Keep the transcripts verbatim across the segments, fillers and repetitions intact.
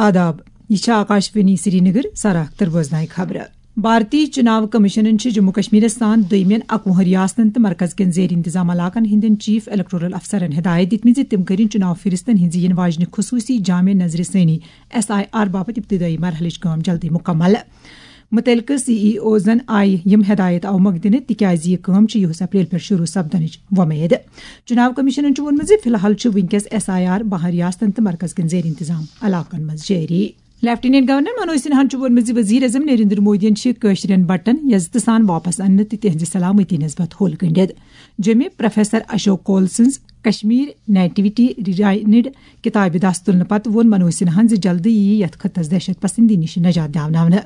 آداب، یہِ چھِ آکاشوانی سرینگر۔ سر اختر بوزنایہِ خبرٕ۔ بھارتی چناو کمیشنن چھِ جموں کشمیرس سان دوٚیمٮ۪ن اَکوُہن ریاستن تہٕ مرکز کٮ۪ن زیر انتظام علاقن ہٕنٛدٮ۪ن چیف الیکٹورل افسرن ہدایت دِتمٕژ زِ تِم کٔرِن چناو فہرستن ہٕنٛزِ یِنہٕ واجنہِ خصوٗصی جامع نظرِ ثٲنی، ایس آئی آر، باپتھ ابتدٲیی مرحلٕچ کٲم جلدی مکمل۔ متعلقہٕ سی ای اوزن آیہِ یِم ہدایت اوٕ مۄکھٕ دِنہٕ تِکیازِ یہِ کٲم چھِ یِہُس اپریل پٮ۪ٹھ شروع سپدنٕچ وۄمید۔ چناو کمیشنن چھُ ووٚنمُت زِ فی الحال چھُ وٕنکیٚس ایس آئی آر بہن ریاستن تہٕ مرکز کٮ۪ن زیر انتظام علاقن منٛز جٲری۔ لیفٹیننٹ گورنر منوج سنہاہن چھُ ووٚنمُت زِ وزیر اعظم نریندر مودیَن چھِ کٲشرٮ۪ن بٹن یزتہٕ سان واپس اننہٕ تہٕ تِہنٛزِ سلامتی نسبت ہوٚل گٔنڈِتھ۔ جیٚمہِ پروفیسر اشوک کول سٕنٛز کشمیر نیٹیوٹی ریٹائنڈ کتابہِ دس تُلنہٕ پتہٕ ووٚن منوج سنہاہن زِ جلدی یِیہِ یتھ خطس دہشت پسندی نِش نجات دیاوناونہٕ۔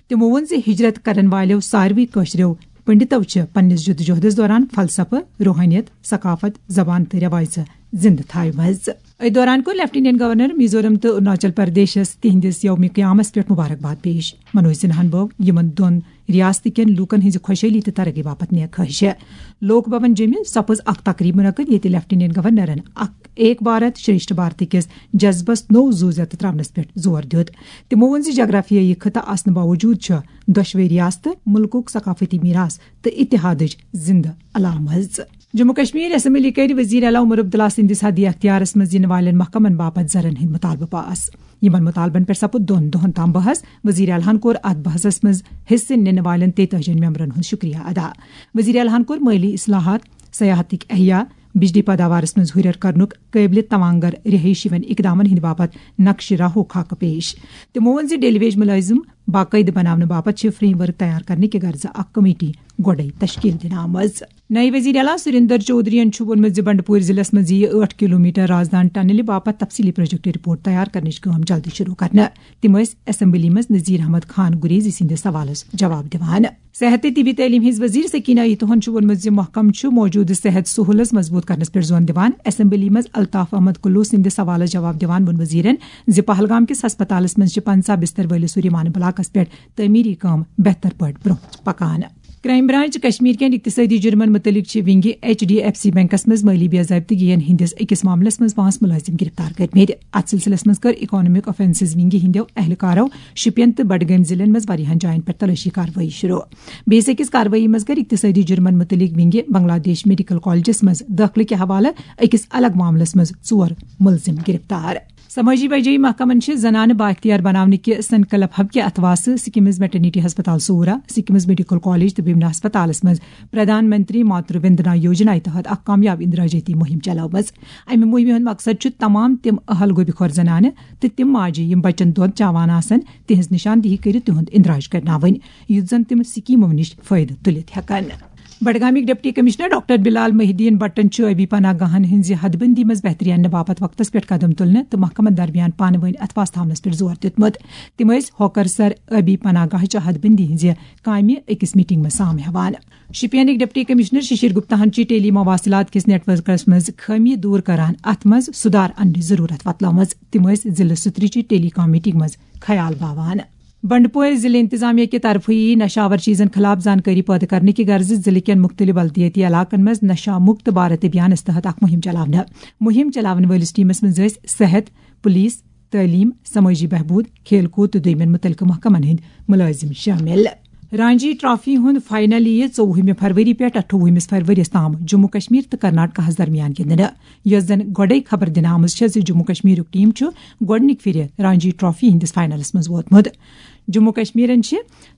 تِمو ووٚن زِ ہجرت کرن والٮ۪و ساروٕے کٲشرٮ۪و پنڈتو چھِ پننِس جدوجہدس دوران فلسفہٕ، روحانیت، ثقافت، زبان تہٕ رٮ۪وایژٕ زندٕ تھاوِمژٕ۔ أتھۍ دوران کوٚر لیفٹیننٹ گورنر میزورم تہٕ اروناچل پردیشس تِہنٛدِس یومِ قیامس پٮ۪ٹھ مبارکباد پیش۔ منوج سنہاہن بٲو یِمن دۄن ریاستہٕ کٮ۪ن لوٗکن ہٕنٛزِ خۄشحٲلی تہٕ ترقی باپتھ نیک خواہش۔ لوک بھون جیٚمہِ سپٕز اکھ تقریب منعقد، ییٚتہِ لیفٹیننٹ گورنرن اکھ ایک بھارت شریشٹھ بھارت کِس جذبس نوٚو زُو زیتہٕ تراونس پٮ۪ٹھ زور دیُت۔ تِمو ووٚن زِ جغرافیٲیی خطہٕ آسنہٕ باوجود چھِ دۄشوے ریاستہٕ مُلکُک ثقافتی میراث تہٕ اتحادٕچ زندٕ علامژ۔ جموں کشمیر اسمبلی کَرِ وزیر اعلیٰ عمر عبداللہ سٕنٛدِس حدِ اختیارس منٛز یِنہٕ والٮ۪ن محکمن باپتھ زرن ہٕنٛدۍ مطالبہٕ پاس۔ یِمن مطالبن پٮ۪ٹھ سپُد دۄن دۄہن تام بحث۔ وزیر اعلیٰ ہن کوٚر اتھ بحثس منٛز حصہٕ نِنہٕ والٮ۪ن تیتٲجی ممبرن ہُنٛد شُکریہ ادا۔ وزیر اعلیٰ ہن کوٚر مٲلی اصلاحات، سیاحتٕکۍ احیاء، بجلی پیداوارس منٛز ہُرٮ۪ر کرنُک قٲبلِ توانگر رہٲیشی ہٕنٛدٮ۪ن اقدامن ہٕنٛدِ باپتھ نقشہِ راہُک خاکہٕ پیش۔ تِمو ووٚن زِ ڈیلی ویج مُلٲزِم باقٲعدٕ بناونہٕ باپتھ چھِ فریم ورک تیار کرنہٕ کہِ غرضہٕ اکھ کمیٹی گۄڈَے تشکیل دِنہٕ آمٕژ۔ نئے وزیر اعلیٰ سریندر چودھرین چھُ ووٚنمُت زِ بنڈپور ضلعس منٛز یِیہِ ٲٹھ کلومیٹر رازدان ٹنلہِ باپتھ تفصیلی پروجیکٹ رپورٹ تیار کرنٕچ کٲم جلدی شروع کرنہٕ۔ تِم ٲسۍ اسمبلی منٛز نذیر احمد خان گریزی سٕنٛدِس سوالس جواب دِوان۔ صحت تہٕ طبی تعلیٖم ہٕنٛز وزیر سکینہ ایتوہن چھُ ووٚنمُت زِ محکمہٕ چھُ موجودٕ صحت سہوٗلژ مضبوٗط کرنس پٮ۪ٹھ زون دِوان۔ اسمبلی منٛز الطاف احمد کلو سٕنٛدِ سوالس جواب دِوان ووٚن وزیرن زِ پہلگام کِس ہسپتالس منٛز چھِ پنژاہ بستر وٲلِس سوریمان بلاکس پٮ۪ٹھ تعمیٖری کٲم بہتر پٲٹھۍ برٛونٛہہ پکان۔ کرائم برانچ کشمیر کٮ۪ن اقتصٲدی جُرمن مُتعلق چھِ ونگہِ H D F C banks منٛز مٲلی بے ضٲبطگین ہٕنٛدِس أکِس معاملس منٛز پانٛژھ مُلٲزِم گرفتار کٔرمٕتۍ۔ اتھ سلسلس منٛز کٔر اکنامک آفینسز ونگہِ ہٕنٛدیو اہلکارو شُپین تہٕ بڈگٲمۍ ضلعن منٛز واریاہن جاین پٮ۪ٹھ تلٲشی کاروٲیی شروع۔ بیٚیِس أکِس کاروٲیی منٛز کٔر اقتصٲدی جُرمن مُتعلق ونگہِ بنگلہ دیش میڈیکل کالجس منٛز دٲخلہٕ کہِ حوالہٕ أکِس الگ معاملس منٛز ژور مُلزِم گرفتار۔ سمٲجی بجٲیی محکمن چھِ زنانہٕ بااختیار بناونہٕ کہِ سنکلپ حب کہِ اتھواسہٕ سکمز میٹرنیٹی ہسپتال صورہ، سکمز میڈیکل کالج تہٕ بیمنا ہسپتالس منٛز پردھان منتری ماترو وندنا یوجنا تحت اکھ کامیاب اندراجاتی مہم چلٲومٕژ۔ امہِ مہمہِ ہُنٛد مقصد چھُ تمام تِم اہل گوبہِ خور زنانہٕ تہٕ تِم ماجہِ یِم بچن دۄد چاوان آسن، تِہنٛز نشاندہی کٔرِتھ تِہُنٛد اندراج کرناوٕنۍ، یُتھ زن تِم سکیمو نِش فٲیدٕ تُلِتھ ہٮ۪کن۔ بڈگامیُک ڈپٹی کمشنر ڈاکٹر بلال محی الدین بٹن چھُ ٲبی پناہ گاہن ہٕنٛزِ حد بندی منٛز بہتری اننہٕ باپتھ وقتس پٮ۪ٹھ قدم تُلنہٕ تہٕ محکمن درمیان پانہٕ وٲنۍ اتھواس تھاونس پٮ۪ٹھ زور دیُتمُت۔ تِم ٲسۍ ہوکر سر ٲبی پناہ گاہ چہِ حد بندی ہٕنٛزِ کامہِ أکِس میٹنگ منٛز سام ہٮ۪وان۔ شُپینٕکۍ ڈپٹی کمشنر ششیر گپتاہن چھِ ٹیلی مواصلات کِس نیٹ ورکس منٛز خٲمی دوٗر کران، اتھ منٛز سُدھار اننٕچ ضروٗرت وۄتلٲومٕژ۔ تِم ٲسۍ ضلعہٕ سترِ چہِ ٹیلی کام میٹنگ منٛز خیال باوان۔ بنڈپورِ ضلعہٕ انتظامیہ کہِ طرفہٕ یی نشاور چیزن خلاف زانکٲری پٲدٕ کرنہٕ کہِ غرضہٕ ضلعہٕ کٮ۪ن مُختٔلِف بلدیٲتی علاقن منٛز نشہ مکت بھارت ابھیانس تحت اکھ مُہِم چلاونہٕ۔ مُہِم چلاون وٲلِس ٹیمس منٛز ٲسۍ صحت، پُلیٖس، تعلیٖم، سمٲجی بہبوٗد، کھیل کوٗد تہٕ دوٚیمٮ۪ن مُتعلقہٕ محکمن ہٕنٛدۍ مُلٲزِم شٲمِل۔ رانجی ٹرافی ہُنٛد فاینل یِیہِ ژوٚوُہمہِ فروری پٮ۪ٹھ اَٹھووُہمِس فروریَس تام جموں کشمیر تہٕ کرناٹکاہَس درمیان گِنٛدنہٕ۔ یۄس زَن گۄڈَے خبر دِنہٕ آمٕژ چھےٚ زِ جموں کشمیرُک ٹیم چھُ گۄڈٕنِکہِ پھِرِ رانجی ٹرافی ہٕنٛدِس فاینلَس منٛز ووتمُت۔ جموں کشمیرَن چھِ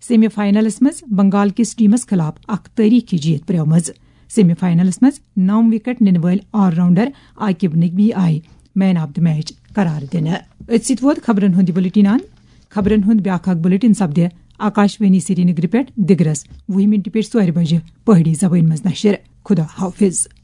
سیمی فاینلَس منٛز بنگال کِس ٹیمَس خلاف اکھ تٲریٖخی جیٖت پرٛٲومٕژ۔ سیمی فاینلَس منٛز نَو وِکٹ نِنہٕ وٲلۍ آل راؤنڈر عاقب نقوی آیہِ مین آف دی میچ قرار دِنہٕ۔ أتھۍ سۭتۍ ووت خبرَن ہُنٛد یہِ بلیٹن اند۔ خبرَن ہُنٛد بیٛاکھ اکھ بلیٹن سپدِ آکاشوانی سرینگرٕ پٮ۪ٹھ دِگرس وُہہِ مِنٹہِ پٮ۪ٹھ ژورِ بجہِ پہٲڑی زبٲنۍ منٛز نشر۔ خدا حافظ۔